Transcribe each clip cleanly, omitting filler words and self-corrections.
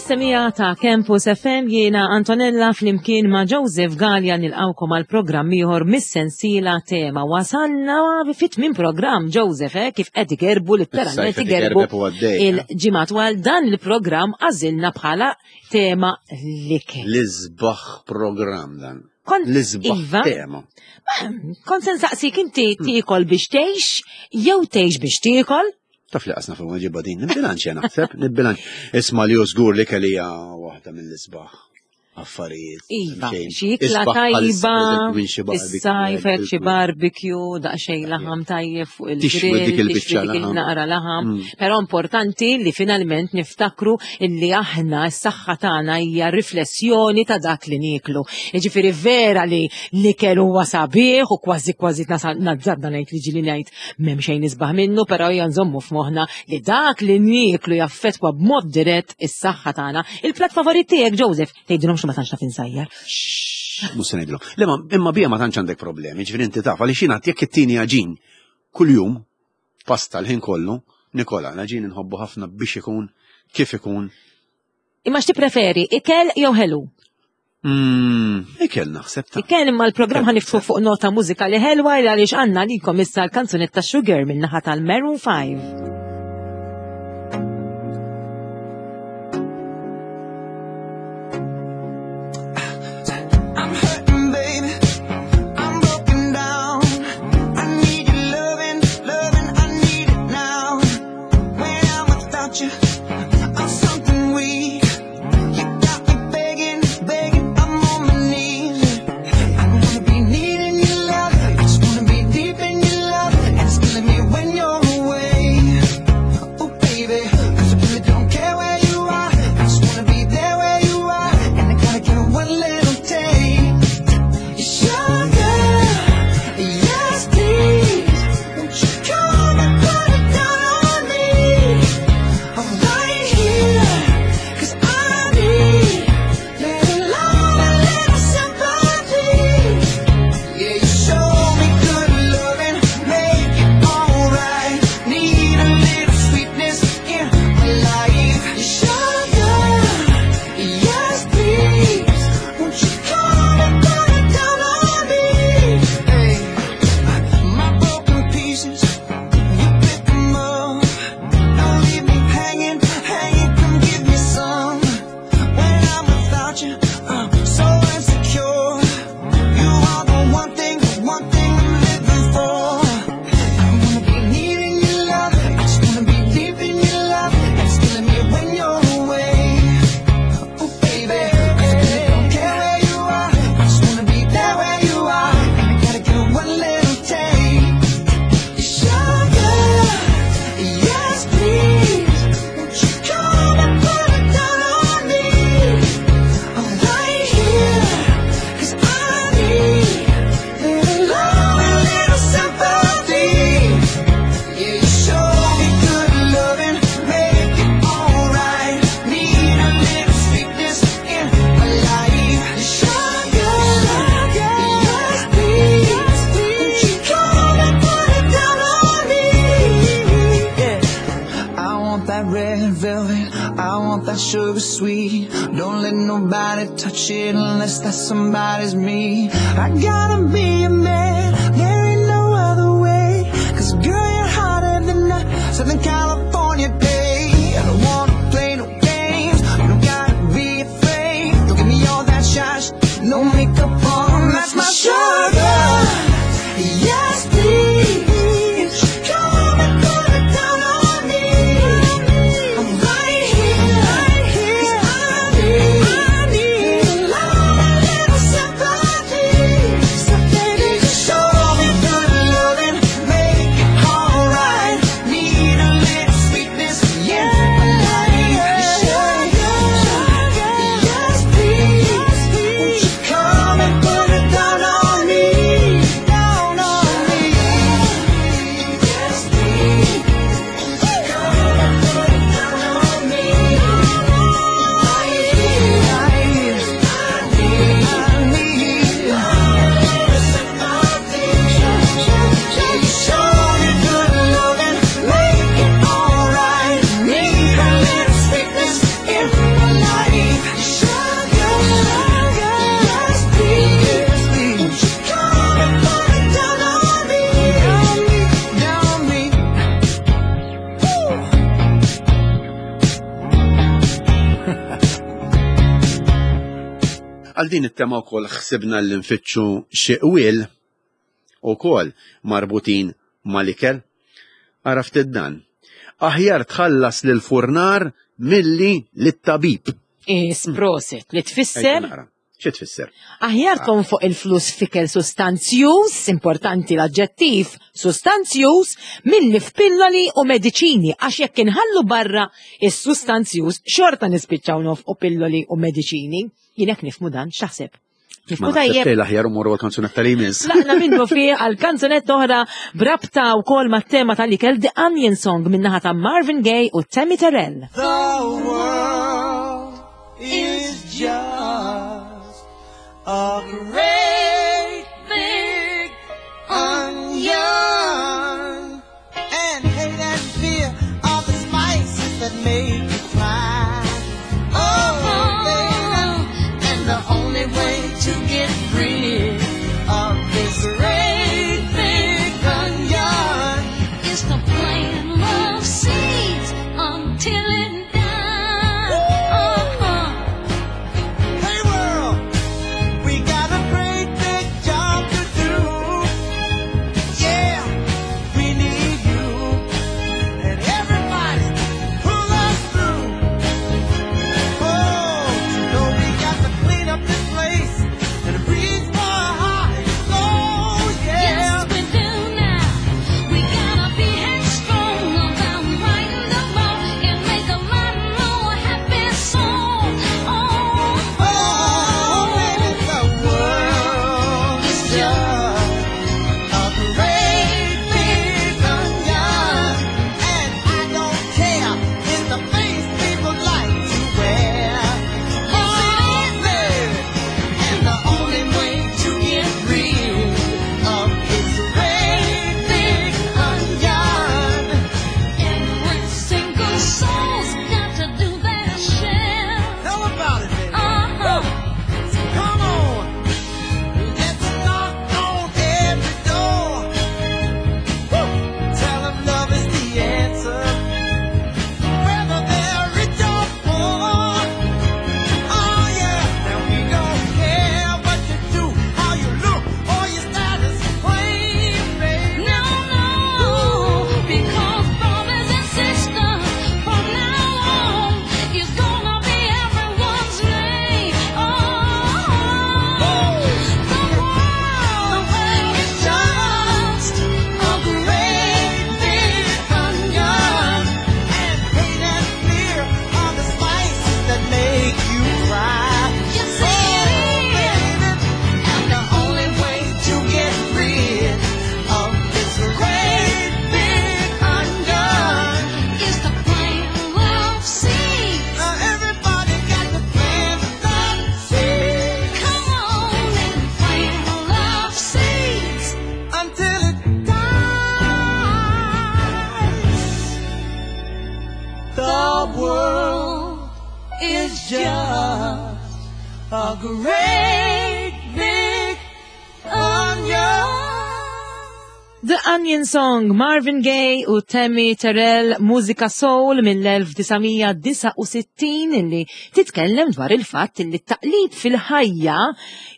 Semija ta' Campus FM jiena Antonella flimkien ma' Joseph Gallia nilqawkom għal programm ieħor mis-sensiela tema. Wasalna fit minn programm Joseph eh, kif qed igerbu letteralment igerbu eh. il-ġimgħat għal dan il-programm għażilna bħala tema l-ikel. L-isbaħ programm dan. L-isbaħ iva. tema. Kont se nsaqsik inti hmm. tiekol biex tgħix jew tgħix biex tiekol? Taf li qasna fuq ġibba din, nibbilanċ naħseb, nibbilanċ. Isma li żgur li kelija waħda mill-isbaħ affarijiet. Iva, xi ikla tajba, is-sajf xi barbecue, daqsxejn laħam tajjeb fuq il-grill, dik il-biċċa dik il-naqra laħam. Mm. Però importanti li finalment niftakru illi aħna s-saħħa tagħna hija riflessjoni ta' dak li nieklu. Jiġifieri vera li l-ikel huwa sabiħ u kważi kważi nazzarda ngħid li ġili ngħid M'hemm xejn isbaħ minnu, però hija nżommu f'moħħna li dak li nieklu jaffettwa b'mod dirett is-saħħa tagħna. Il-plat favorit tiegħek, Joseph, tgħidilhom xi ma tantx naf insajjar. Mhux se ngħidilhom. Le ma imma bija ma tantx għandek problemi, ġifieri inti taf għaliex jiena jekk it-tieni għaġin kuljum pasta l-ħin kollu, Nikola, l-għaġin inħobbu ħafna biex ikun kif ikun. Imma x'tippreferi, ikel jew ħelu? Mm, ikel naħseb ta' Ikel imma l-programm ħaniftħu fuq nota mużikali ħelwa għaliex għandna likom issa l-kanzunetta Sugar minn naħa tal-Maroon 5. Għal din it-tema wkoll ħsibna li nfittxu xi qwiel ukoll marbutin mal-ikel. Ara ftit dan. Aħjar tħallas lil furnar milli lit-tabib. Is proset li tfisser Xi tfisser? Aħjar tonfoq il-flus f'ikel sustanzjuż, importanti l-aġġettiv, sustanzjuż, milli f'pilloli u mediċini, għax jekk inħallu barra is-sustanzjuż xorta nispiċċaw nofqu pilloli u mediċini. Jien hekk nifhmu dan, x'taħseb? Nifhmu tajjeb. L-aħjar umorru għal-kanzunetta li jmiss. Laqna minnu fih għal-kanzunetta oħra brabta wkoll mat-tema tal-ikel The Onion Song min-naħa ta' Marvin Gaye u Tammy Terrell. The world is just a great big onion. And hate and fear are the spices that make you cry. Oh, baby, and the only way to get rid of this great big onion is to plant love seeds until it dies. Uh-huh. Hey world, we got a great big job to do. Yeah, we need you. And everybody, pull us through. Oh, you know we got to clean up this place and reach for a high goal. Yeah. Yes, we do now. We gotta be headstrong about righting the wrong and make a lot more happy song. Oh, Oh, baby, the world is just a great big onion, and I don't care. It's the face people like to wear. Oh, baby, and the only way to get rid of this great big onion. every single soul's got to do their share. Tell about it, baby. Uh-huh. Come on, let's knock on every door. Woo! Tell 'em love is the answer, whether they're rich or poor. Oh yeah, now we don't care what you do, how you look, or your status claim, baby. No, no, because brothers and sisters, from now on, is gonna be everyone's name. Oh, the world is just a great big onion. And hate and fear are the spices that make you cry. Yes, it is. And the only way to get rid of this great big onion. Is to plant love seeds. Now everybody got to plant the seed Come on and plant love seeds. until it dies. The world is just a great big onion. The Onion Song, Marvin Gaye u Tammy Terrell, mużika soul mill-1969 illi titkellem dwar il-fatt illi t-taqlib fil-ħajja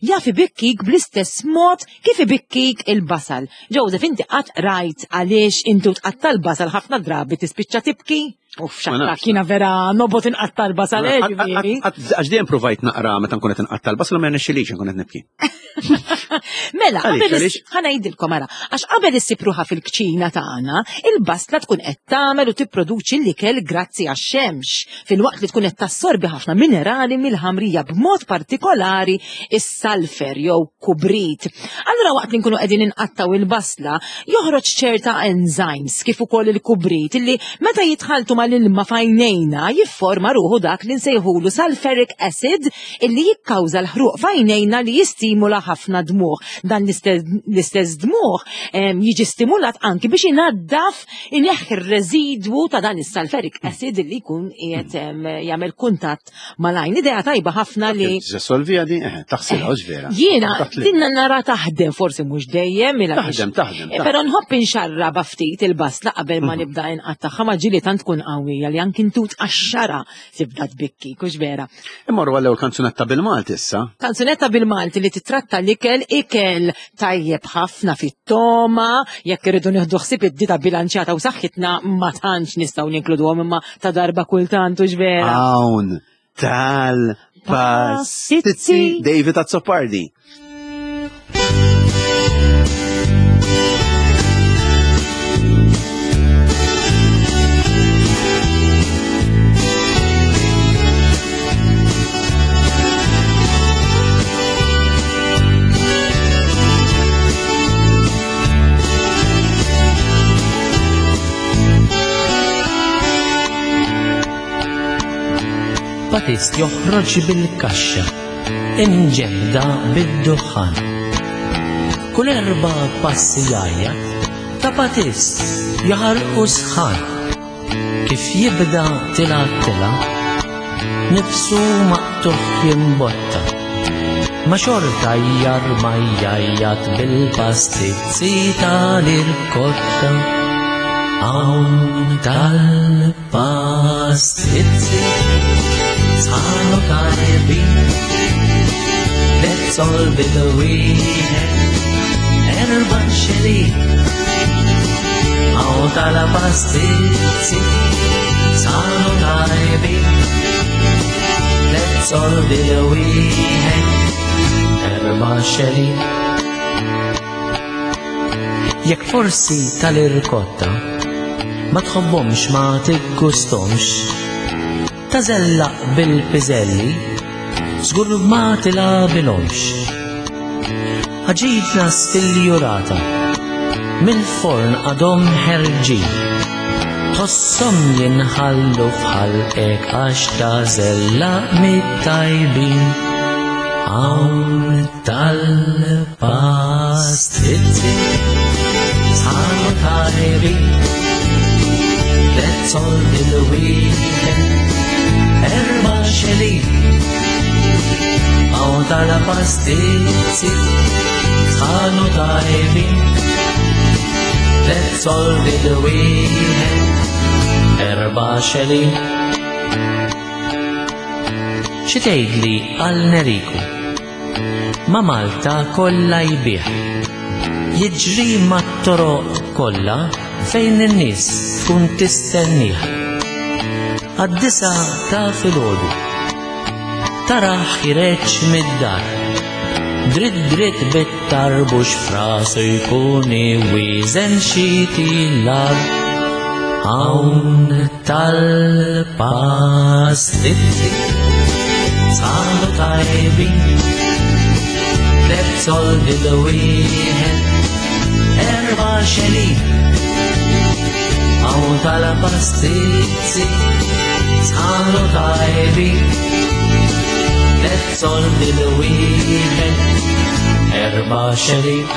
jaf ibikkik bl-istess mod kif ibikkik il-basal. Joseph, inti qatt rajt għaliex intu tqatta' l-basal ħafna drabi tispiċċa tibki? Uff, Ma xatta, nafx. kiena vera nobot inqatta' l-basal, ġifieri. Għax dejjem provajt naqra meta nkun qed inqatta' l-basal ma jirnexxilix nkun qed nibki. Mela, Għaliex, qabel għaliex? ħa ngħidilkom ara, għax qabel issib ruħha fil-kċina tagħna, il-basla tkun qed tagħmel u tipproduċi l-ikel grazzi għax-xemx, filwaqt li tkun qed tassorbi ħafna minerali mill-ħamrija b'mod partikolari is-salfer jew kubrit. Allura waqt li nkunu qegħdin inqattaw il-basla, joħroġ ċerta enzymes kif ukoll il-kubrit illi meta jitħaltu mal-ilma f'għajnejna jifforma ruħu dak li nsejħulu sulfuric acid illi jikkawża l-ħruq f'għajnejna li jistimula ħafna dmuħ. Dan l-istess dmuħ jiġi stimulat anki biex inaddaf ineħħi r-residwu ta' dan is-sulfuric acid li jkun qiegħed jagħmel kuntatt mal-għajn. Idea tajba ħafna li Solvija di, taħsilha, hux vera. Jiena dinna nara taħdem forsi mhux dejjem mela Taħdem, taħdem. Eh, però nħobb inxarraba ftit il-basla qabel ma nibda inqattagħha ma ġieli tant tkun qawwija li anki ntut għax-xara tibda tbikki, kux vera. Immorru għall-ewwel kanzunetta bil-Malti issa. Kanzunetta bil-Malti li titratta l-ikel, ikel tajjeb ħafna fit-toma, jekk irridu nieħdu ħsieb id-dita bilanċjata u saħħitna ma tantx nistgħu ninkluduhom imma ta' darba kultant u vera. Hawn tal-pastizzi David Azzopardi. Batist joħroġ bil-kaxxa, imġebda bid-duħħan. Kull erba' passi jgħajjat, ta' Batist jaħarqu sħan. Kif jibda tila tila, nifsu maqtuħ jimbotta. Ma xorta jarma jgħajjat bil-pastizzi tal-irkotta. Hawn tal-pastizzi sħanu tajbin, Lezzol bil-wieħed, erba' xelin. Hawn tal-pastizzi sħanu tajbin, Lezzol bil-wieħed, erba' xelin. Jekk forsi tal-irkotta ma tħobbhomx ma tiggustomx, tażellaq bil-piżelli, żgur ma tilgħabilhomx. Ħaġitna stiljurata, mill-forn għadhom ħerġin, tħosshom jinħallu f'ħalqek għax tażellaq mit-tajbin. Hawn tal-pastizzi sħanu tajbin, Lezzol bil-wieħed, erba' xelin. Hawn tal-pastizzi sħanu tajbin, Lezzol bil-wieħed, erba' xelin. Xi tgħidli għal Neriku? Ma Malta kollha jbigħ. Jiġri mat-toroq kollha fejn in-nies tkun tistennih. Għad-9 ta' filgħodu. Taraħ ħireġ mid-dar. Dritt dritt bit-tarbux frasu jkun iwieżen xi tilar. Hawn tal-pastizzi sħanu tajbin, Lezzol bil-wieħed, erba' xelin. Hawn tal-pastizzi sħanu tajbin, Lezzol bil-wieħed, erba' xelin.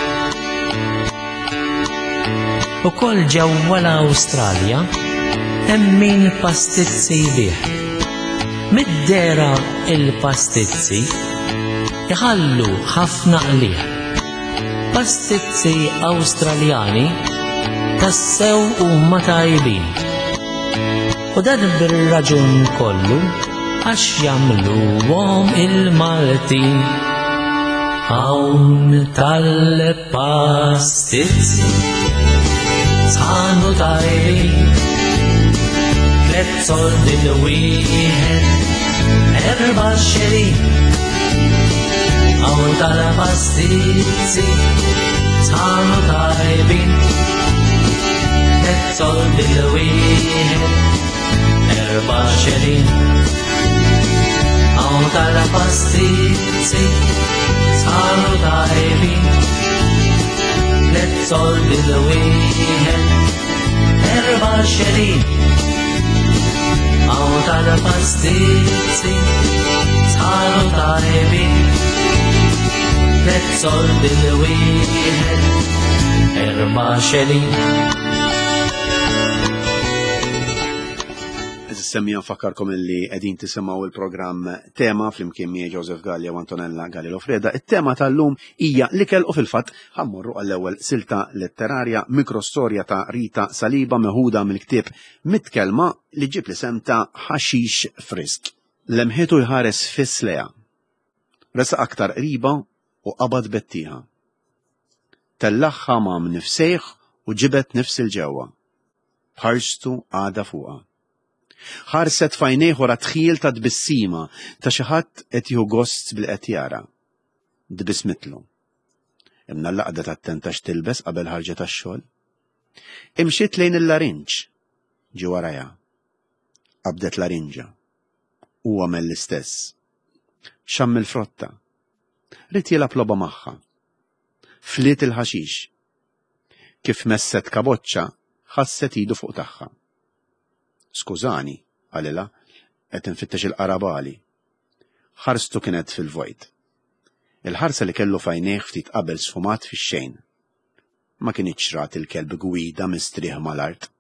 Ukoll ġewwa l-Awstralja hemm min pastizzi jbigħ. Mid-dera il-pastizzi iħallu ħafna qligħ. Pastizzi Awstraljani tassew huma tajbin. U dan bir-raġun kollu għax jagħmluhom il-Maltin. Hawn tal-pastizzi sħanu tajbin, Lezzol bil-wieħed, erba' xelin. Hawn tal-pastizzi sħanu tajbin, Lezzol bil-wieħed, erba' xelin. Hawn tal-pastizzi sħanu tajbin, Lezzol bil-wieħed, erba' xelin. Hawn tal-pastizzi sħanu tajbin, Lezzol bil-wieħed, erba' ארבע שלי. Semmija nfakkarkom illi qegħdin tisimgħu il-programm Tema flimkien miegħi Joseph Gallia u Antonella Galli Lofreda. It-tema tal-lum hija l-ikel u fil-fatt ħammorru għall-ewwel silta letterarja mikrostorja ta' Rita Saliba meħuda mill-ktieb Mitkelma li ġib l-isem ta' Ħaxix Frisk. Lemħitu jħares fiss leha. Resaq aktar qriba u qabad bettieħa. Tellagħha ma' mnifsejh u ġibed nifs 'il ġewwa. B'ħarstu għadha fuqha. Ħarset f'għajnejh wara dħil ta' tbissima ta' xi ħadd qed jieħu gost billi qed jara. Tbissmitlu. Imnalla qagħdet attenta x'tilbes qabel ħarġet għax-xogħol. Imxiet lejn il-larinġ. Ġie warajha. Qabdet larinġa. Hu għamel l-istess. Xamm il-frotta. Ried jilgħab logħba magħha. Fliet il-ħaxix. Kif messet kaboċċa, ħasset idu fuq tagħha. Skużani, qalilha, qed infittex il-qarabali. Ħarstu kienet fil-vojt. Il-ħarsa li kellu f'għajnejh ftit qabel sfumat fix-xejn. Ma kinitx rat il-kelb gwida mistrieħ mal-art.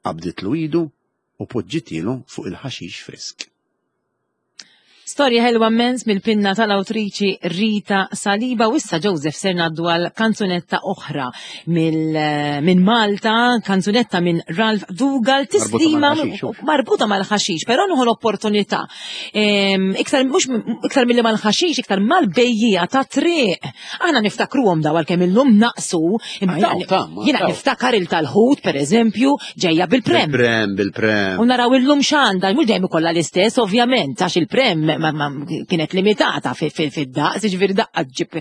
Qabditlu idu u poġġitielu fuq il-ħaxix frisk. Storja ħelwa mmens mill-pinna tal-awtriċi Rita Saliba u issa Joseph ser ngħaddu għal kanzunetta oħra eh, minn Malta, kanzunetta minn Ralph Dugal, tislima marbuta mal-ħaxix, però nieħu l-opportunità. Iktar mhux iktar milli mal-ħaxix, iktar mal-bejjija ta' triq. Aħna niftakruhom daw għalkemm illum naqsu, jiena niftakar il tal-ħut pereżempju ġejja bil-prem. Bil-prem, bil-prem. U naraw illum x'għandha, mhux dejjem ikollha l-istess ovvjament, għax il-prem kienet limitata fid-daqs, jiġifieri daqqa ġib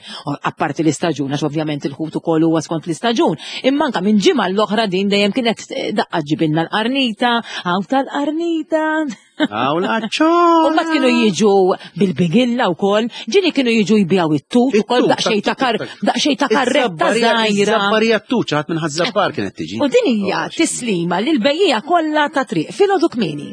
apparti l-istaġun, għax ovvjament il-ħut ukoll huwa skont l-istaġun. Imma anke minn ġimgħa l-oħra din dejjem kienet eh, daqqa ġibilna l-qarnita, hawn tal-qarnita. Għaw l-aċċo. U mbagħad kienu jiġu bil-bigilla wkoll, ġieli kienu jiġu jbijaw it-tut ukoll daqsxejn ta' kar daqsxejn ta' karretta żgħira. Zabbarija t-tut, ħadd minn ħaż-żabbar kienet tiġi. U din hija tislima lil bejjija kollha ta' triq filgħodu kmieni.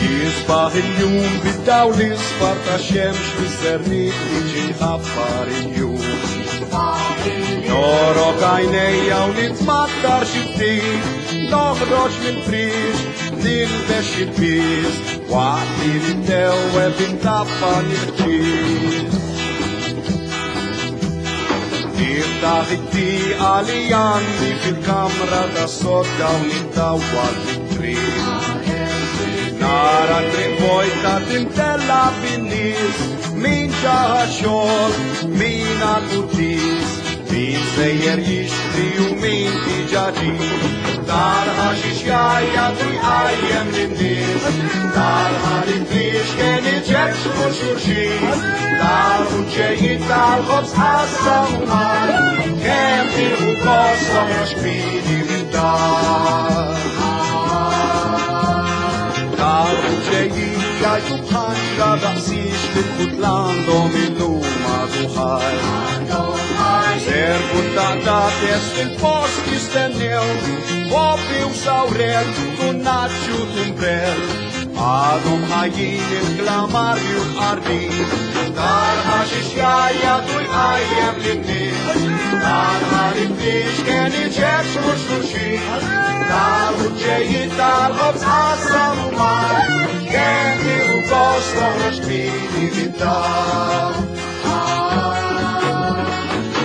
Jisbaħ il-jum bid-dawl isfar ta' xemx biż-żerniq li ġie ħabbar il-jum. Norok għajnejja u nitmattar xi ftit, noħroġ mill-friex, nilbex il-piż, waqt li nittewweb intappan il-ħġieġ. Niftaħ it-tieqa li għandi fil-kamra tas-sodda u nittawwal fit-triq. Nara triq vojta timtella bin-nies, min ġaħa xogħol, min għal-quddies, min sejjer jixtri u min diġà ġie. Tal-ħaxix jgħajjat u jqajjem lin-nies, tal-ħalib kien iġeċ xulxin, tal-ħuġġejjin tal-ħobż qassam u mar, kemm tieħu gost toħroġ kmieni mid-dar. Tal-ħuġġejjin jgħajtu bħanġra daqsix fil-ħut l-għandhom illum għadu ħaj. Servu ta' fil-post jistennew, Bobby u sawrel, tunnaċċu tumbrel. Għadhom ħajjin il-klamarju l-qardin, tal-ħaxix jgħajjat u jqajjem lin-nies. Tal-ħalib kien iġeċ mhux xulxin, tal-ħuġġejjin tal-ħobż qassam u mar, kemm tieħu gost toħroġ kmieni mid-dar.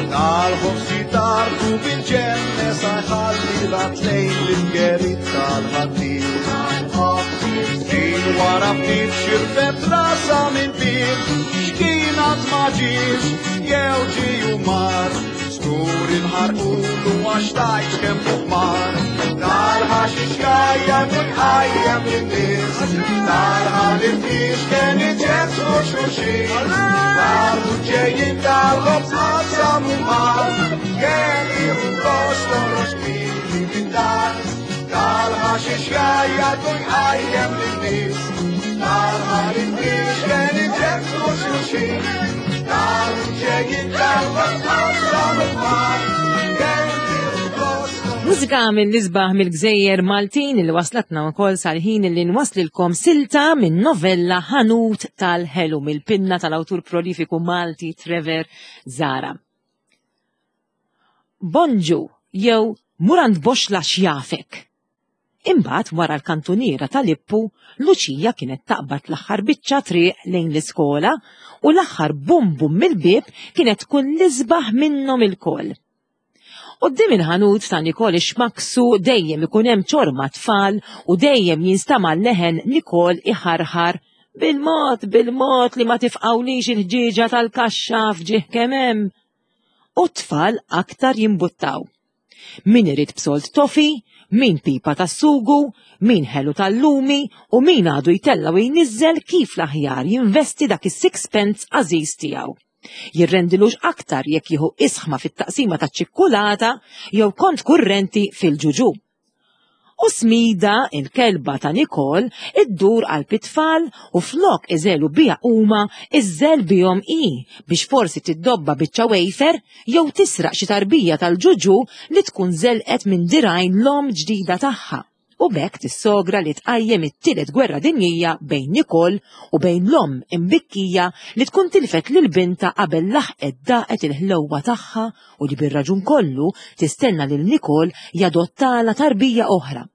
Tal-ħobż jitarku bil-ġenne sa jħalli la tlejn l-ingerit tal-ħaddir. Din wara ftit xirfet rasa minn bir, x'kien għad ma ġiex, jew ġie u mar. Skur inħarqulu għax tajt kemm fuq Tal-ħaxix jgħajjat u jqajjem lin-nies, tal-ħalib kien iġeċ u xulxin, tal-ħuġġejjin tal-ħobż qassam u mar, kemm jieħu gost toħroġ kmieni mid-dar. Tal-ħaxix jgħajjat u jqajjem lin-nies. Tal-ħarit iġebsu xulxin. Tal-ġejjin tal-qasam il-mar. Mużika mill-isbaħ mill-gżejjer Maltin li waslatna wkoll sal-ħin li nwaslilkom silta minn novella Ħanut tal-Ħelu mill-pinna tal-awtur prolifiku Malti Trevor Zara. Bonġu jew murand boxla xjafek. Imbagħad wara l-kantuniera tal-Ippu, Luċija kienet taqbad l-aħħar biċċa triq lejn l-iskola u l-aħħar bum bum mill-bieb kienet tkun l-isbaħ minnhom ilkoll. Quddiem il-ħanut ta' Nicole Xmaksu dejjem ikun hemm ċorma tfal u dejjem jinstama' leħen Nicole iħarħar bil-mod bil-mod li ma tifqawlix il-ħġieġa tal-kaxxa f'ġieħ kemm hemm. U t-tfal aktar jimbuttaw. Min irid b'sold tofi, min pipa tas-sugu, min ħelu tal-lumi u min għadu jtella' u jniżżel kif l-aħjar jinvesti dak is-sixpence għażiż tiegħu. Jirrendilux aktar jekk jieħu isħma fit-taqsima taċ-ċikkulata jew kont kurrenti fil-ġuġu. U Smida, il-kelba ta' Nicole, iddur qalb it-tfal u flok iżelu biha huma, iżżel bihom hi biex forsi tiddobba biċċa wafer jew tisraq xi tarbija tal-ġuġu li tkun żelqet minn dirgħajn l-omm ġdida tagħha. U b'hekk tissogra li tqajjem it-tielet gwerra dinjija bejn Nicole u bejn l-omm imbikkija li tkun tilfet lil bintha qabel laħqet daqet il-ħlewwa tagħha u li bir-raġun kollu tistenna lil Nicole jadottalha tarbija oħra.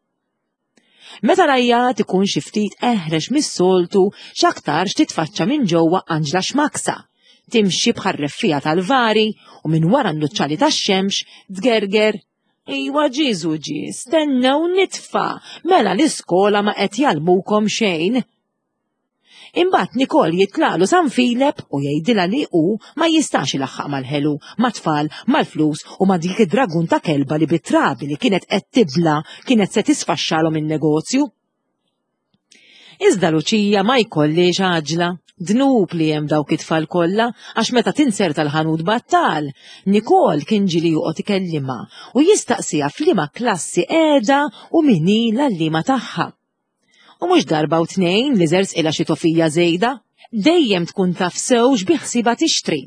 Meta l-għajjat ikun xi ftit eħrex mis-soltu, x'aktarx titfaċċa minn ġewwa Anġla Xmaksa, timxi bħar-reffiegħa tal-vari u minn wara n-nuċċali tax-xemx tgerger Iwa Ġieżu ġie, stennew nitfa, mela l-iskola ma qed jgħallmukom xejn. Imbagħad Nicole jitlaqlu San Filep u jgħidilha li hu ma jistax ilaħħaq mal-ħelu, mat-tfal, mal-flus u ma' dik id-dragun ta' kelba li bit-trabi li kienet qed tibla' kienet se tisfaxxalhom in-negozju. Iżda Luċija ma jkollhiex għaġla. Dnub li hemm dawk it-tfal kollha għax meta tinzerta l-ħanut battal, Nicole kien ġieli joqgħod ikellimha u jistaqsiha f'liema klassi qiegħda u min hi l-għalliema tagħha. U mhux darba u tnejn li żersqilha xi tofija żejda. Dejjem tkun taf sew x'biħsiebha tixtri.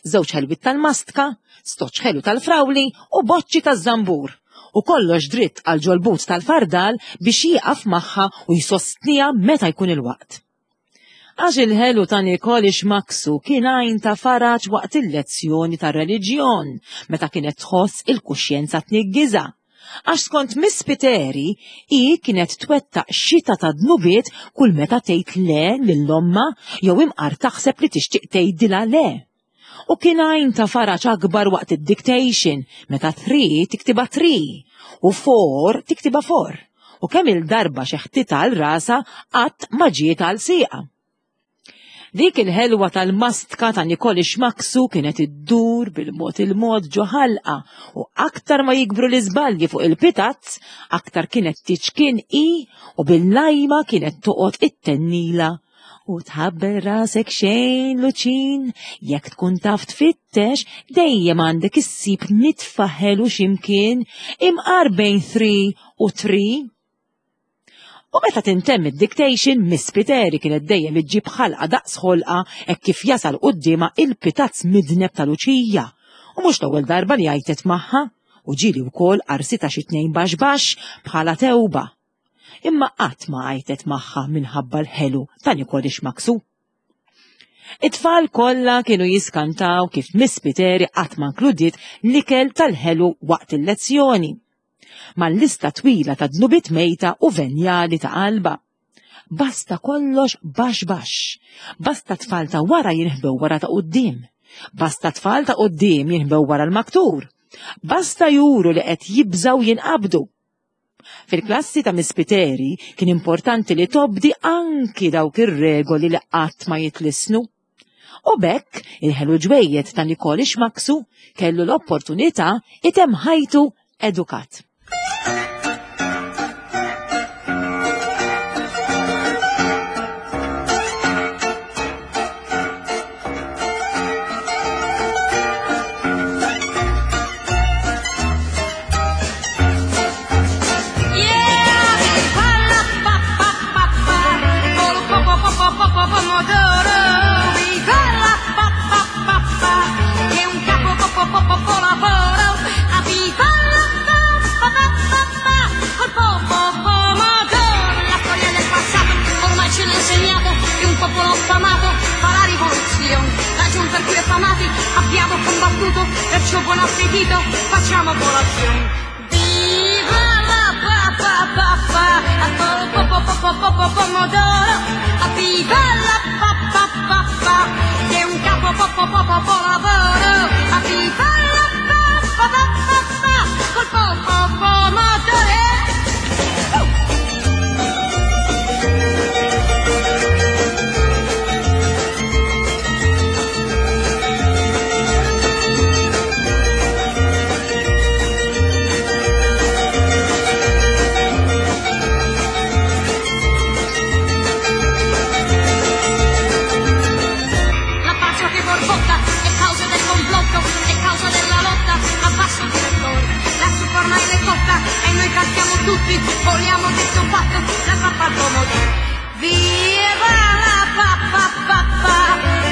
Żewġ ħelwiet tal-mastka, stoċċ ħelu tal-frawli u boċċi taż-żambur. U kollox dritt għal ġol-but tal-fardal biex jieqaf magħha u jsostniha meta jkun il-waqt. Għax il-ħelu ta' Nicole Ixmaksu kien għajn ta' faraġ waqt il-lezzjoni tar-reliġjon meta kienet tħoss il-kuxjenza tniggiżha. Għax skont Miss Spiteri, hi kienet twettaq xita ta' dnubiet kull meta tgħid le lil ommha jew imqar taħseb li tixtieq tgħidilha le. U kien għajn ta' faraġ akbar waqt id-dictation meta three tiktibha tree u four tiktibha for u kemm-il darba xeħtitha għal rasha qatt ma ġiet għal sieqha. Dik il-ħelwa tal-mastka ta' Nicole Xmaksu kienet iddur bil-mod il-mod ġo ħalqa u aktar ma jikbru l-iżbalji fuq il-pitazz, aktar kienet tiċkien hi u bil-lajma kienet toqgħod ittennila. U tħabbel rasek xejn, Luċin, jekk tkun taf tfittex, dejjem għandek issib nitfa ħelu x'imkien, imqar bejn 3 u 3. U meta tintemm id-dictation, Miss Spiteri kienet dejjem iġġib ħalqa daqs ħolqa hekk kif jasal quddiemha il-pitazz midneb ta' Luċija. U mhux l-ewwel darba li għajtet magħha, u ġieli wkoll qarsitha xi tnejn baxx baxx bħala tewba. Imma qatt ma għajtet magħha minħabba l-ħelu ta' Nicole Xmaksu. It-tfal kollha kienu jiskantaw kif Miss Spiteri qatt ma nkludiet l-ikel tal-ħelu waqt il-lezzjoni. Mal-lista twila ta' dnubiet mejta u venjali ta' qalbha. Basta kollox baxx baxx. Basta tfal ta' wara jinħbew wara ta' quddiem. Basta tfal ta' quddiem jinħbew wara l-maktur. Basta juru li qed jibżgħu jinqabdu. Fil-klassi ta' Miss Spiteri kien importanti li tobdi anki dawk ir-regoli li qatt ma jitlissnu. U b'hekk il-ħelu ġwejjed ta' Nicole Xmaksu kellu l-opportunità itemm ħajtu edukat. Yeah! affamati, abbiamo combattuto, perciò buon appetito, facciamo colazione. Viva la pa pa pa pa, a col po po po po po po pomodoro, a viva la pa pa pa pa, che è un capo po po po po po lavoro, a viva la pa pa pa pa pa, col po po pomodoro. La pace che borbotta è causa del complotto, è causa della lotta a basso direttore. La zuppa ormai è cotta e noi cantiamo tutti, vogliamo detto fatto, la pappa al pomodoro. Viva la pappa pappa,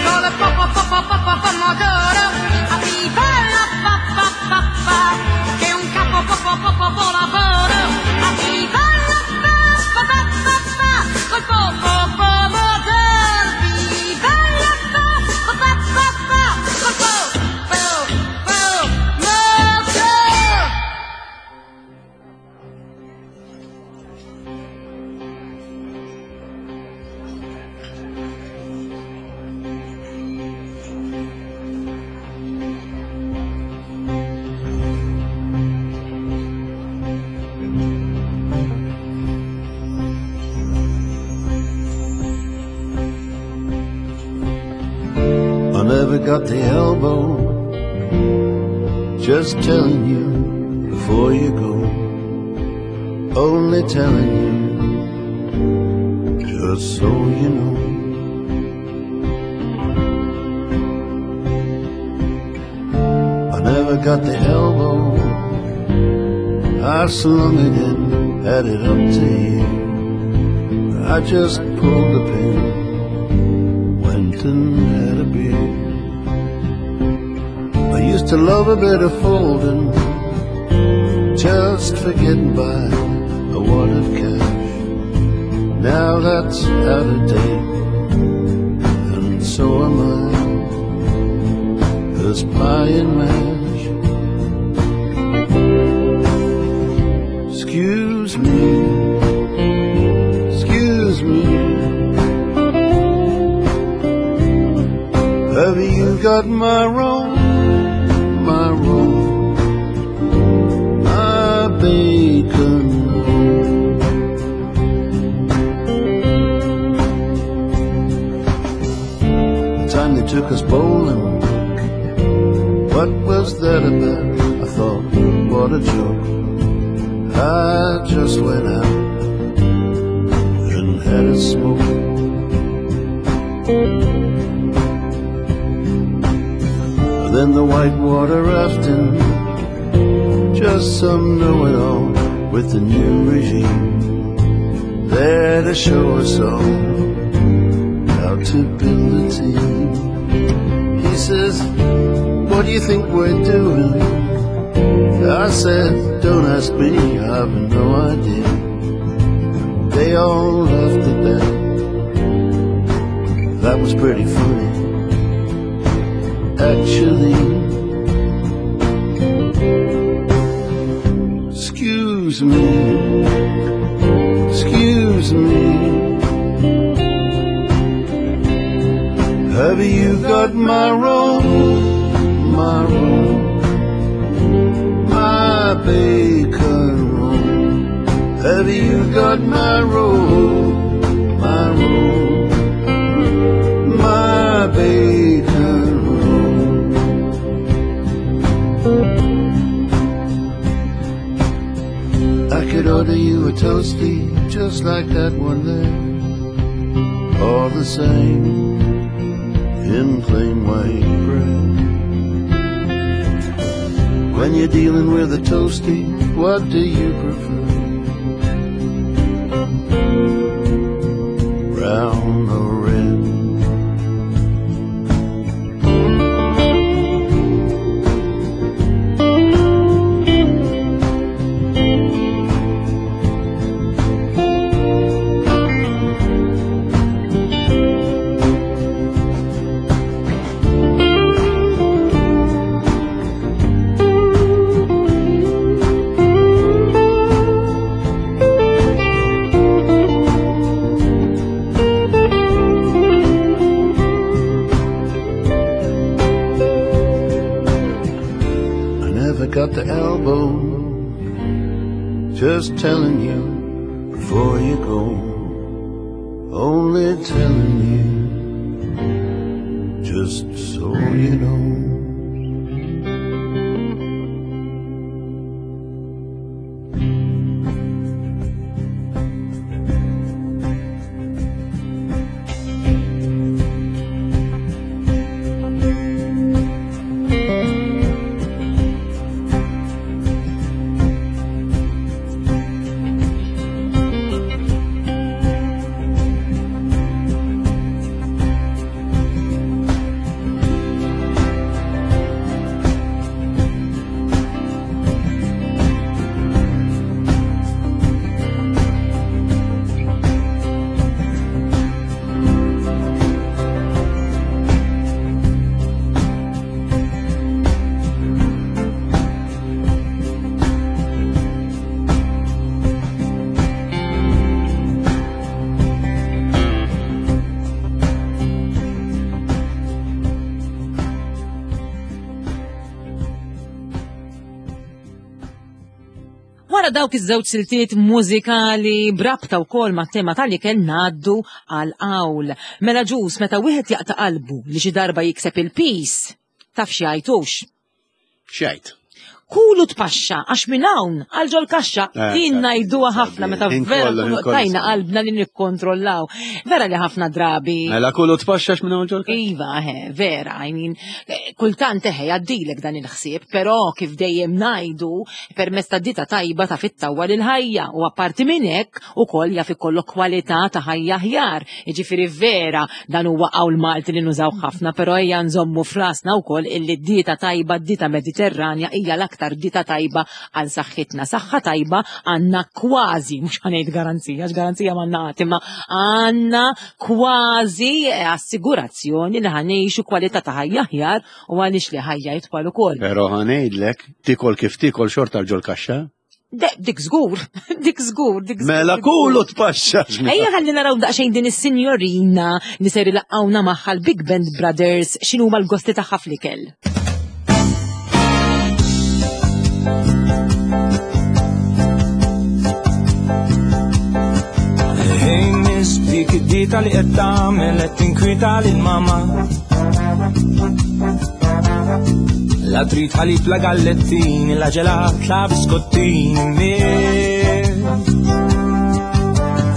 con il po po po po po po pomodoro. A viva la pappa pappa, che è un capo po po po po po lavoro. A viva la pappa pappa pappa, col po po pomodoro. Viva la pappa pappa pappa, col po po pomodoro. I never got the elbow. Just telling you before you go. Only telling you, just so you know. I never got the elbow. I slung it in, had it up to here. I just pulled the pin, went and had a beer. I used to love a bit of folding, just for getting by a wad of cash. Now that's out of date, and so am I. There's pie and mash. Excuse me, excuse me. Have you got my roll, my roll, my bacon roll? The time they took us bowling, what was that about? I thought, what a joke. I just went out and had a smoke. Then the whitewater rafting, just some know-it-all with the new regime, there to show us all how to build a team. He says, what do you think we're doing? I said, don't ask me, I've no idea. They all laughed at that. That was pretty funny, actually. Excuse me, excuse me. Have you got my roll, my roll, my bacon roll? Have you got my roll, my roll, my bacon roll? I could order you a toasty just like that one there, all the same, in plain white bread. When you're dealing with a toasty, what do you prefer? Brown or red? telling you before you go. Only telling you, just so you know. Wara dawk iż-żewġ siltiet mużikali brabta wkoll mat-tema tal-ikel ngħaddu għal qawl. Mela ġus meta wieħed jaqta' qalbu li xi darba jikseb il-pis, taf xi jgħidux. X'jgħid? Kulu tpaxxa għax minn hawn għal ġol kaxxa Eh, din ngħiduha ħafna meta Ħin vera kollu, nkunu ħin kollu. tajna qalbna li nikkontrollaw. Vera li ħafna drabi. Mela kulu tpaxxa minn hawn ġol kaxxa? Iva, he, vera, I mean, eh, kultant eħe jgħaddilek dan il-ħsieb, però kif dejjem ngħidu permezz ta' dita tajba ta' fit-tawwa lil ħajja u apparti minn hekk ukoll jaf ikollok kwalità ta' ħajja aħjar. Jiġifieri vera dan huwa qawl Malti li nużaw ħafna, però ejja nżommu frasna wkoll illi d-dieta tajba, d-dieta Mediterranja hija l-aktar dieta tajba għal saħħitna. Saħħa tajba għandna kważi, mhux ħanejt garanzija, għax garanzija m'għandna qatt, imma għandna kważi eh, assigurazzjoni li ħanejxu kwalità ta' ħajja aħjar u għaliex li ħajja jitwal ukoll. Però ħanejdlek, tikol kif tikol xorta ġol kaxxa. Dik żgur, dik żgur, dik żgur. Mela dik żgur. kulu tpaxxa. Ejja ħalli naraw daqsxejn din is-sinjorina li ser ilaqgħuna magħha l-Big Band Brothers x'inhuma l-gosti tagħha fl-ikel. Hey miss, dik id-dita li qed tagħmel qed tinkwita lil mama. La trid ħalib la gallettini, la ġelat, la biskottini, miss.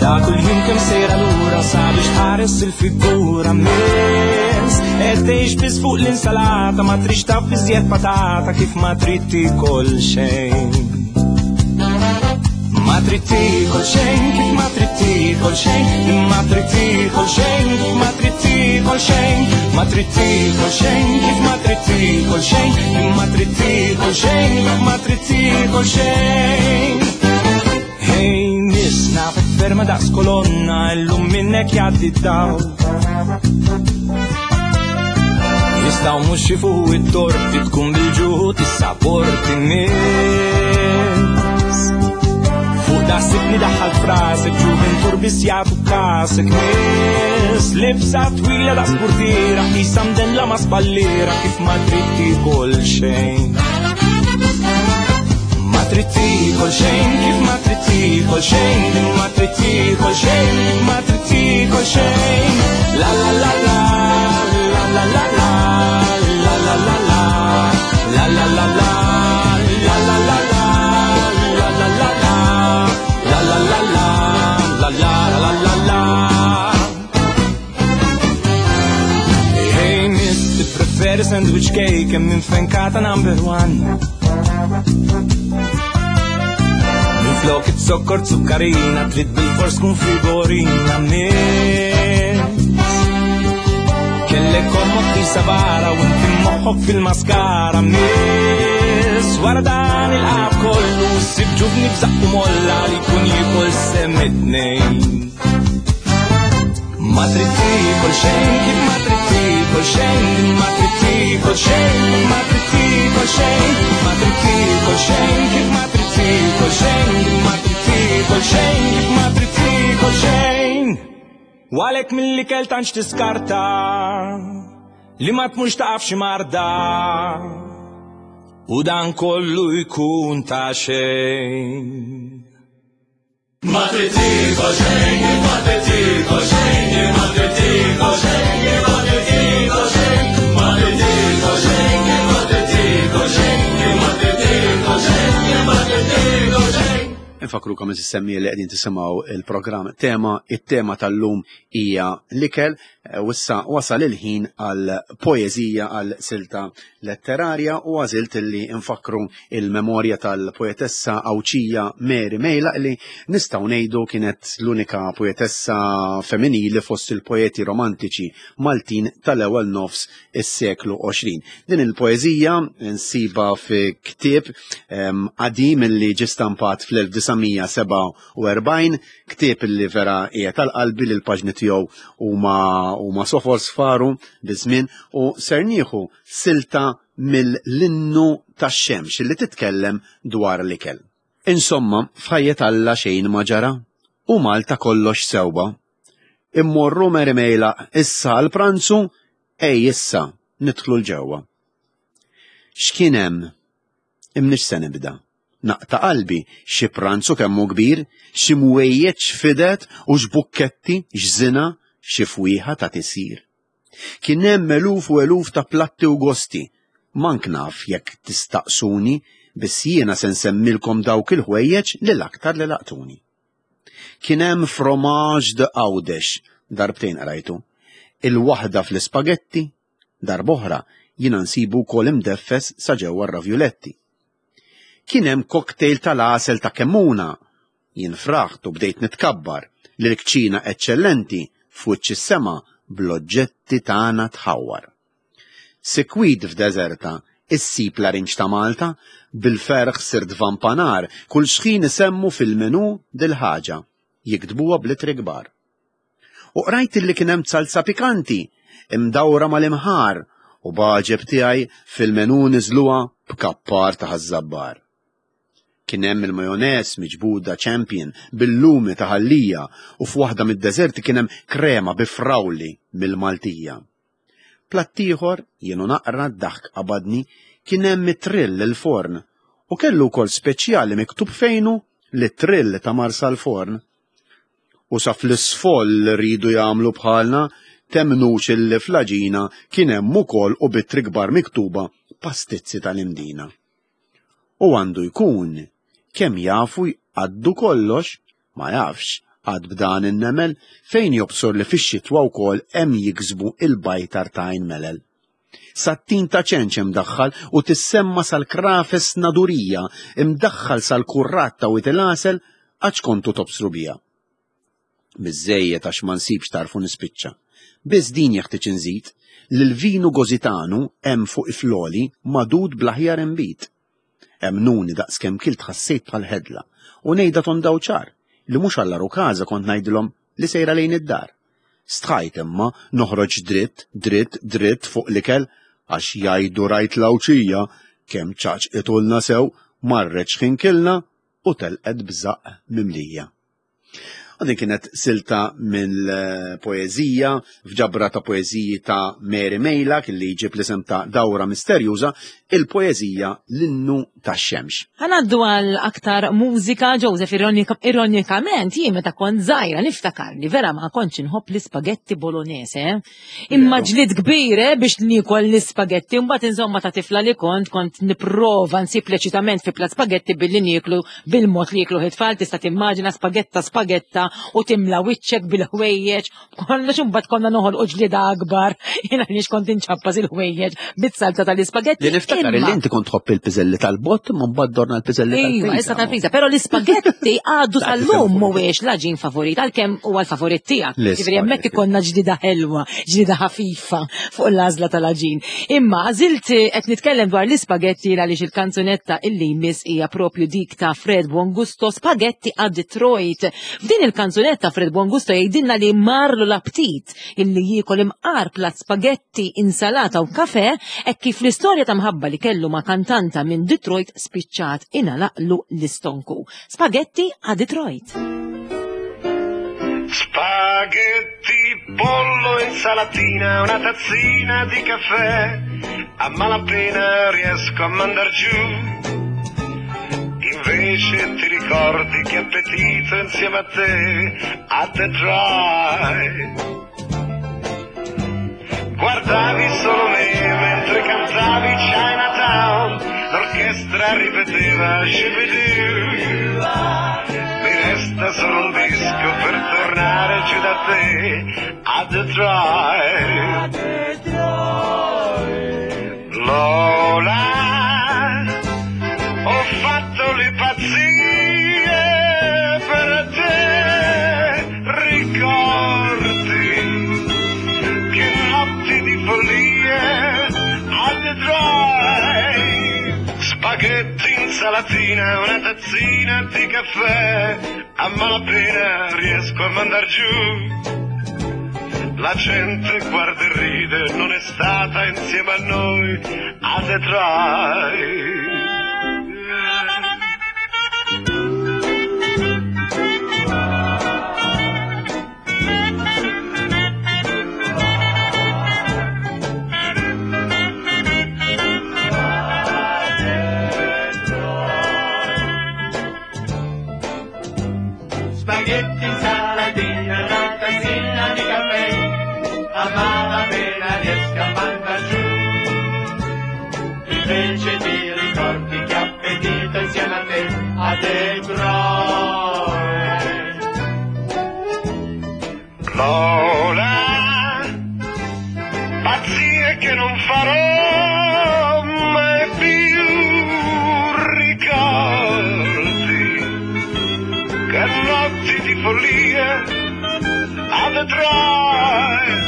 Ta' kull jum kemm sejra lura sabiex tħares il-figura miss. Qed tgħix biss fuq l-insalata ma trix taf iżjed patata kif ma trid tikol xejn. Ma trid tiekol xejn, kif ma trid tiekol xejn, ma trid tiekol xejn, kif ma trid tiekol xejn, ma trid tiekol xejn, kif ma trid tiekol xejn, ma trid tiekol xejn, kif ma trid tiekol xejn. Hey, miss, nafek ferma daqs kolonna, illum minnek jgħaddi d-dawl. Jistaw mux xifuhu it-torti tkun bil-ġuħu tissaporti miss. Fuq daħsibni daħħal frasek, ġuventur biss jagħtu kasek miss. Libsa twila da sportira, qisha mdella ma spallira kif ma trid tiekol xejn. Ma trid tiekol xejn, kif ma trid tiekol xejn, ma trid tiekol xejn, kif ma trid tiekol xejn. La la la la, la la la la, la la la la, la la la la, la la la la, la la la la, la la la la, la la la la la. Hey miss, tippreferi sandwich cake hemm minn fenkata number one. Minn flok it-sokkor zukkarina, trid bil-fors tkun figurina miss. Kellek ommok tisa vara u inti moħħok fil-maskara miss. Wara dan il-qab kollu ssib ġuvni b'żaqqu molla li jkun jiekol sem it-tnejn. Ma trid tiekol xejn, kif ma trid tiekol xejn, ma trid tiekol xejn, ma trid tiekol xejn, ma trid tiekol xejn, kif ma trid tiekol xejn, ma trid tiekol xejn, kif ma trid tiekol xejn. U għalhekk mill-ikel tantx tiskarta li ma tmurx taqaf xi marda. U dan kollu jkun ta' xejn. Ma trid tiekol xejn, ma trid tiekol xejn, ma trid tiekol xejn, ma trid tiekol xejn, ma trid tiekol xejn, ma trid tiekol xejn, ma trid tiekol xejn, ma trid tiekol xejn. Infakrukom is-semmi li qegħdin tisimgħu il-programm tema, it-tema tal-lum hija l-ikel u issa wasal il-ħin għal poeżija għal silta letterarja u għażilt li nfakru il-memorja tal-poetessa Għawdxija Mary Mejlaq li nistgħu ngħidu kienet l-unika poetessa femminili fost il-poeti romantiċi Maltin tal-ewwel nofs is-seklu 20. Din il-poeżija nsibha fi ktieb qadim li ġie stampat fl-1947, ktieb li vera hija tal-qalbi li l-paġni tiegħu huma huma sofor sfaru biż-żmien u ser nieħu silta mill-Innu tax-Xemx li titkellem dwar l-ikel. Insomma, f'ħajjet Alla xejn ma ġara u Malta kollox sewwa. Immorru Mary Mejlaq issa għall-pranzu, ej issa nidħlu 'l ġewwa. X'kien hemm? Imnix se nibda. Naqta' qalbi, xi pranzu kemm hu kbir, xi mwejjed x'fidet u x'bukketti, x'żina, xi fwieħa ta' tisir. Kien hemm eluf u eluf ta' platti u gosti. Mank naf jekk tistaqsuni, biss jiena se nsemmilkom dawk il-ħwejjeġ li l-aktar li laqtuni. Kien hemm fromage de Għawdex, darbtejn qrajtu. Il-waħda fl-ispagetti, darb'oħra jiena nsibu wkoll imdeffes sa ġewwa r-ravjuletti. Kien hemm cocktail tal-għasel ta' Kemmuna, Jien fraħt u bdejt nitkabbar li l-kċina eċċellenti f'wiċċ is-sema bl-oġġetti tagħna tħawwar. Sikwit f'deżerta issib larinġ ta' Malta, bil-ferħ sirt vampanar kull xħin isemmu fil-menù dil-ħaġa, jiktbuha bl-ittri kbar. U qrajt illi kien hemm salsa pikanti imdawra mal-imħar u b'għaġeb tiegħi fil-menù niżluha b'kappar ta' Ħaż-Żabbar. Kien hemm il-majoneż miġbuda Champion bil-lumi ta' Ħal Lija u f'waħda mid-deżerti kien hemm krema bi frawli mill-Maltija. Platt ieħor, jien u naqra d-daħk qabadni, kien hemm it-trill il-forn u kellu wkoll speċjali miktub fejnu li trill ta' Marsalforn. U sa fl-isfoll riedu jagħmlu bħalna, temmnux illi fl-għaġina kien hemm ukoll u b'ittri kbar miktuba pastizzi tal-Imdina. U għandu jkun kemm jafu jqaddu kollox, ma jafx, għad b'dan in-nemel fejn jobsor li fix-xitwa wkoll hemm jiksbu il-bajtar ta' għajn melel. Sat-tin ta' ċenċ imdaħħal u tissemma sal-krafes nadurija imdaħħal sal-kurrat ta' wied il-għasel għax kontu tobsru biha. Biżżejjed għax ma nsibx tarf u nispiċċa. Biss din jeħtieġ inżid, li l-vinu Gożitanu hemm fuq ifloli magħdud bl-aħjar inbid. Emmnuni daqskemm kilt ħassejt bħal ħedla u ngħidha tonda u ċar li mhux għall-għarukaża kont ngħidilhom li sejra lejn id-dar. Stħajt imma noħroġ dritt, dritt, dritt fuq l-ikel għax jgħidu rajt l-Għawdxija kemm ċaċqitulna sew marret x'ħin kilna u telqet b'żaqq mimlija. U din kienet silta mill-poeżija f'ġabra ta' poeżiji ta' Mary Mejlak li jġib l-isem ta' Dawra Misterjuża, il-poeżija L-Innu tax-Xemx. Ħanaddu għal aktar mużika, Joseph, ironikament, jien meta kont żgħira niftakar li vera ma kontx inħobb l-ispagetti bolognese. Eh? Imma ġlied kbir eh, biex niekol l-ispagetti, mbagħad insomma ta' tifla li kont kont nipprova nsib leċitament fi plat spagetti billi nieklu bil-mod li jieklu it-tfal, tista' timmaġina spagetta spagetta u timla wiċċek bil-ħwejjeġ, kollox imbagħad konna noħolqu ġlieda akbar, jien għaliex kont inċappas il-ħwejjeġ bit-salza tal-ispagetti. Li niftakar li inti kont tħobb il-piżelli tal-bott, imma mbagħad dorna l-piżelli tal-pizza. Iva, issa tal-pizza, però l-ispagetti għadu sal-lum mhuwiex l-għaġin favorit, għalkemm huwa l-favorit tiegħek. Ġifieri hemmhekk ikollna ġdida ħelwa, ġdida ħafifa fuq l-għażla tal-għaġin. Imma għażilt qed nitkellem dwar l-ispagetti għaliex il-kanzunetta illi jmiss hija propju dik ta' Fred Buongusto Spaghetti a Detroit. F'din il-kanzunetta Fred Buongusto jgħidilna li marlu l-aptit illi jiekol imqar plat spagetti, insalata u kafe, hekk kif l-istorja ta' mħabba li kellu ma' kantanta minn Detroit spiċċat ingħalaqlu l-istonku. Spaghetti a Detroit. Spaghetti, pollo, insalatina, una tazzina di caffè, a malapena riesco a mandar giù. Invece ti ricordi che appetito insieme a te a Detroit. Guardavi solo me mentre cantavi Chinatown, l'orchestra ripeteva Shibidoo. Mi resta solo un disco per tornare giù da te a Detroit. Lola, ho fatto le pazzie per te, ricordi che notti di follie a Detroit. Spaghetti, insalatina, una tazzina di caffè, a malapena riesco a mandar giù. La gente guarda e ride, non è stata insieme a noi a Detroit. Spaghetti, insalatina, una tazzina di caffè, a malapena riesco a mandar giù. Invece ti ricordi che appetito insieme a te a Detroit. Lola, pazzie che non farò mai più, ricordi che notti di follia a Detroit.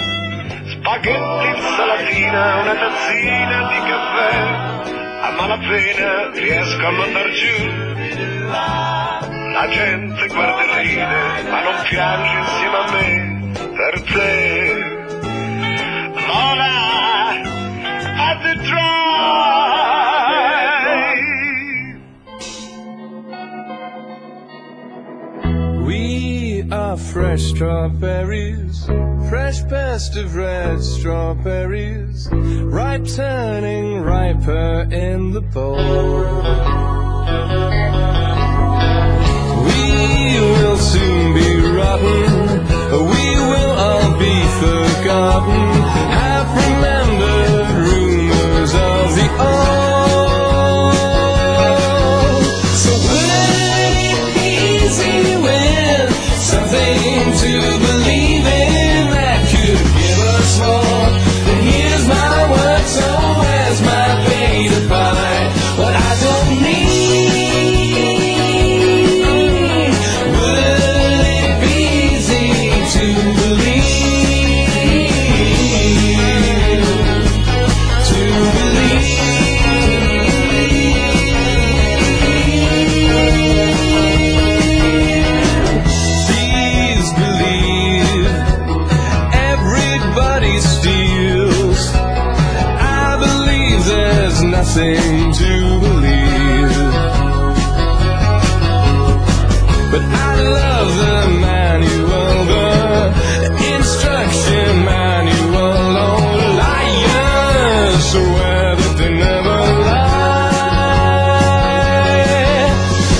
Spaghetti, insalatina, una tazzina di caffè, a malapena riesco a mandar giù. La gente guarda e ride, ma non piange insieme a me per te. Lola, a Detroit. We are fresh strawberries, fresh burst of red strawberries, ripe turning riper in the bowl. We will soon be rotten, we will all be forgotten, half remembered rumors of the old. So wouldn't it be easy with something to believe in that could give us more? And here's my work, so where's my pay to buy what I don't need? Would it be easy to believe? To believe. Please believe everybody steals. I believe there's nothing to believe. But I love the manual, the instruction manual. Oh, liars swear that they never lie.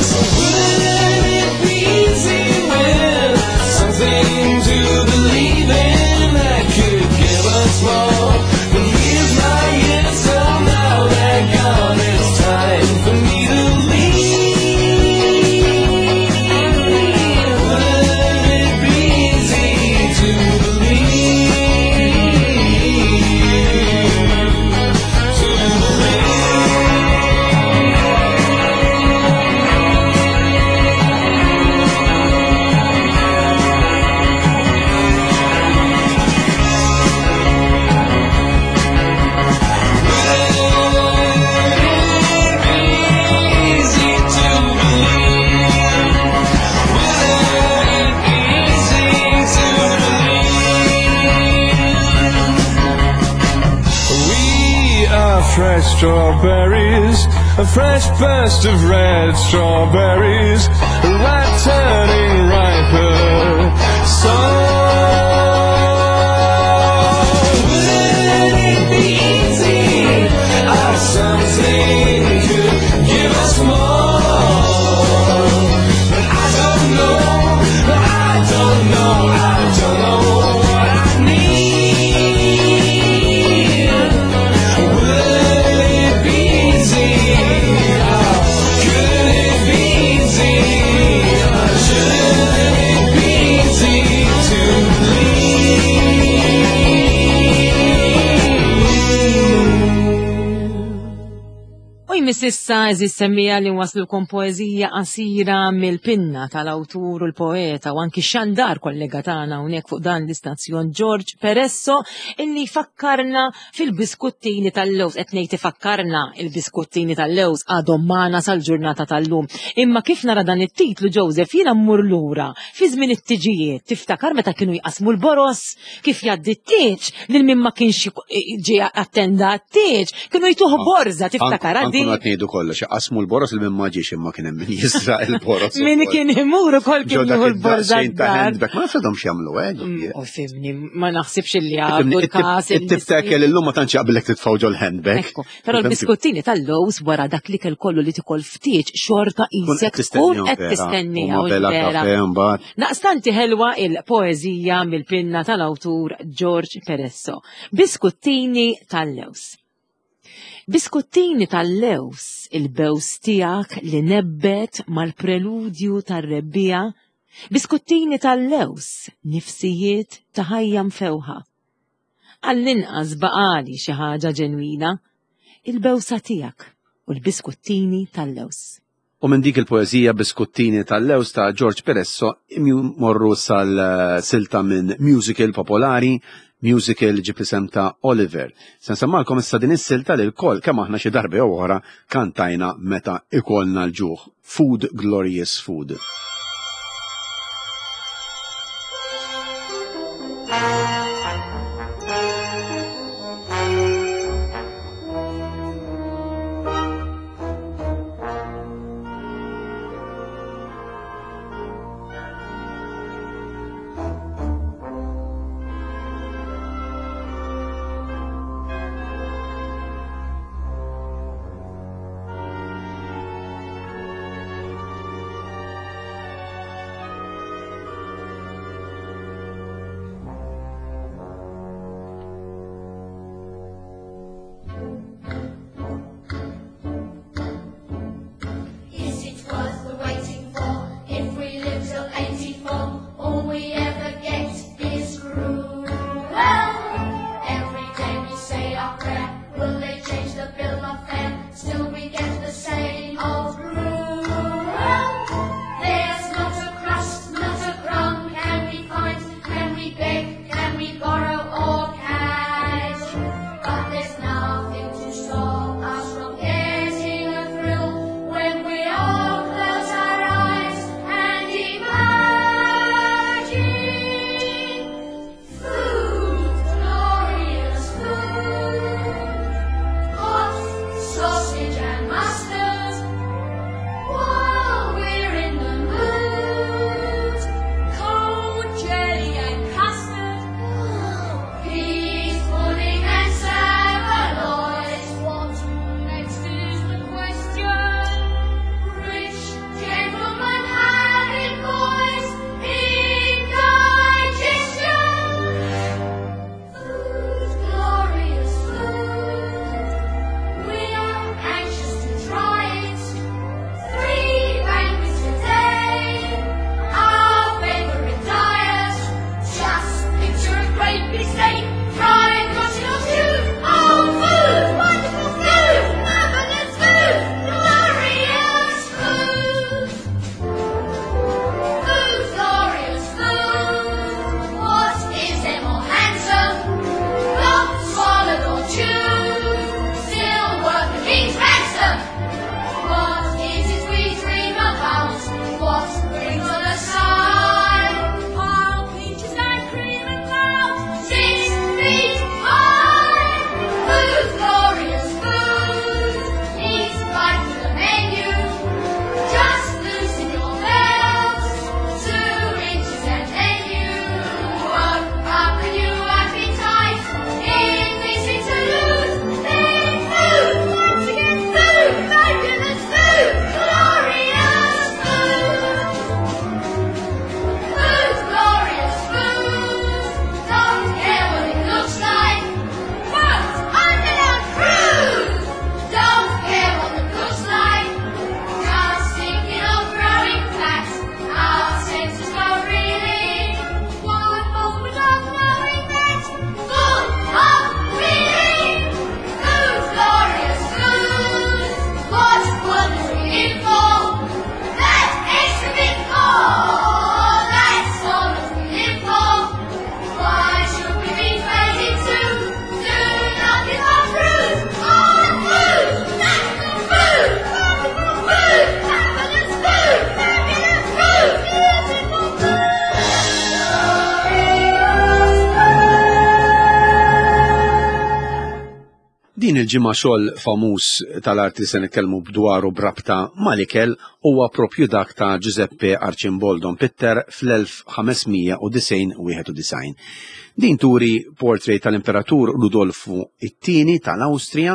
So wouldn't it be easy with something to believe in that could give us more? But here's my years, so now they're gone. It's time for me to leave. Wouldn't it be easy to believe? To believe. We are fresh strawberries, a fresh burst of red strawberries, ripe turning riper. So wouldn't it be easy if something could give us more? don't know, I don't know what I need. Will it be easy? Could it be easy? Should it be easy to U jmiss issa eżis semmija li nwaslulkom poeżija qasira mill-pinna tal-awtur u l-poeta u anki xandar kollega tagħna hawnhekk fuq dan l-istazzjon George Peresso illi fakkarna fil-biskuttini tal-lewż qed ngħid ifakkarna il-biskuttini tal-lewż għadhom magħna sal-ġurnata tal-lum. Imma kif nara dan it-titlu Joseph jiena mmur lura fi żmien it-tiġijiet tiftakar meta kienu jqasmu l-boros kif jgħaddi t-tieġ lil min ma kienx ġie attenda t-tieġ kienu jtuh borża tiftakar għaddi. Ankun qed ngħidu kollox, qasmu l-boros il min ma ġiex imma kien hemm min jisraq il-boros. Min kien imur ukoll Ġo kien dak jieħu l-borża id-daqsxejn ta' d-dar. handbag, ma nafx għadhom x'jagħmlu, eh? U fimni, ma naħsibx li għadu l-kas. It-tip ta' kell illum ma tantx jaqbillek titfgħu ġol handbag. Ekku, però l-biskuttini tal-lows wara dak li kell kollu li tikol ftit xorta isek tkun qed tistennija. U u bella vera. kafe mbagħad. Naqstanti ħelwa il-poeżija mill-pinna tal-awtur George Peresso. Biskuttini tal-lews. Biskuttini tal-lews, il-bews tiegħek li nebbet mal-preludju tar-rebbija. Biskuttini tal-lews, nifsijiet ta' ħajja mfewħa. Għall-inqas baqali xi ħaġa ġenwina, il-bewsa tiegħek u l-biskuttini tal-lews. U minn dik il-poeżija Biskuttini tal-Lews ta' George Peresso morru sal-silta minn musical popolari, musical ġib isem ta' Oliver. Se nsemmalkom issa din is-silta li l-koll kemm aħna xi darba jew oħra kantajna meta ikollna l-ġuħ. Food Glorious Food. Din il-ġimgħa xogħol famuż tal-arti li se nitkellmu dwaru b'rabta mal-ikel huwa propju dak ta' Giuseppe Arcimboldo mpitter fl-1591. Din turi portrait tal-Imperatur Rudolfu it-Tieni tal-Awstrija.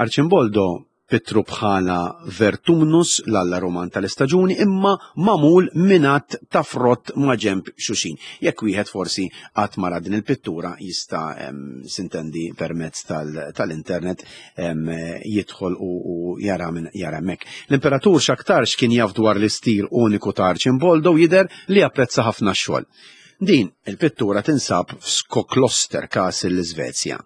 Arcimboldo pittru bħala Vertumnus, l-alla Ruman tal-istaġuni, imma magħmul minn għadd ta' frott ma' ġenb xuxin. Jekk wieħed forsi qatt ma ra din il-pittura jista' sintendi permezz tal-internet jidħol u jara minn jara hemmhekk. L-imperatur x'aktarx kien jaf dwar l-istil uniku ta' Arcimboldo u jidher li apprezza ħafna x-xogħol. Din il-pittura tinsab f'Skokloster Castle l-Iżvezja.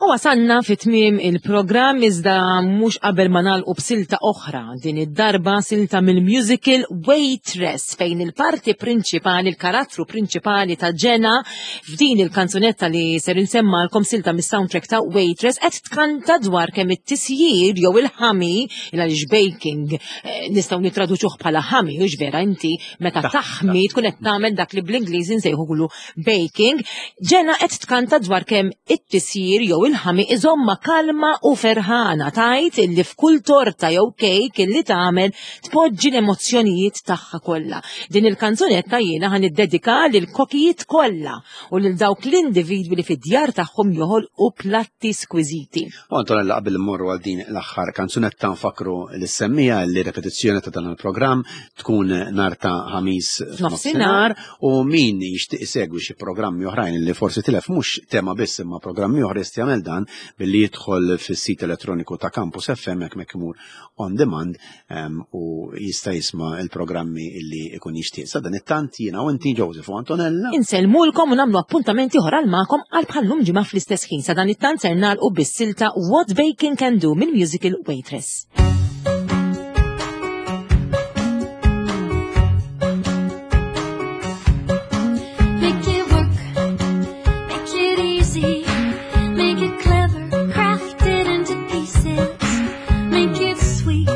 U wasalna fi tmiem il-programm iżda mhux qabel ma nagħlqu b'silta oħra, din id-darba silta mill-musical Waitress fejn il-parti prinċipali, il-karattru prinċipali ta' Jenna f'din il-kanzunetta li ser insemmalkom silta mis-soundtrack ta' Waitress qed tkanta dwar kemm it-tisjir jew il-ħami, il għaliex baking eh, nistgħu nittraduċuh bħala ħami, hux vera inti meta taħmi tkun qed tagħmel dak li bl-Ingliż insejħulu baking, Ġena qed tkanta dwar kemm it-tisjir jew il-ħami iżomma kalma u ferħana tgħid illi f'kull torta jew kejk illi tagħmel tpoġġi l-emozzjonijiet tagħha kollha. Din il-kanzunetta jiena ħa niddedika lil kokijiet kollha u lil dawk l-individwi li fid-djar tagħhom joħolqu platti skwiżiti. U Antonella qabel immorru għal din l-aħħar kanzunetta nfakru lis-semmija li repetizzjoni ta' dan il-programm tkun nhar ta' ħamis f'nofsinhar u min jixtieq isegwi xi programmi oħrajn li forsi tilef mhux tema biss imma programmi oħra jista' jagħmel dan billi jidħol fis-sit elettroniku ta' Campus FM hekk mek imur on demand u jista' jisma' il-programmi li ikun jixtieq. Sa dan it-tant jiena u inti Joseph u Antonella. Insellmulkom u nagħmlu appuntament ieħor għal magħkom għal bħallum ġimgħa fl-istess ħin. Sa dan it-tant ser nagħlqu bis-silta What Baking Can Do mill-musical Waitress. Make it work, make it easy, make it clever, craft it into pieces, make it sweet,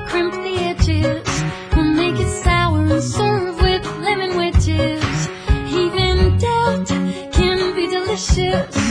crimp the edges, we'll make it sour and serve with lemon wedges. Even doubt can be delicious.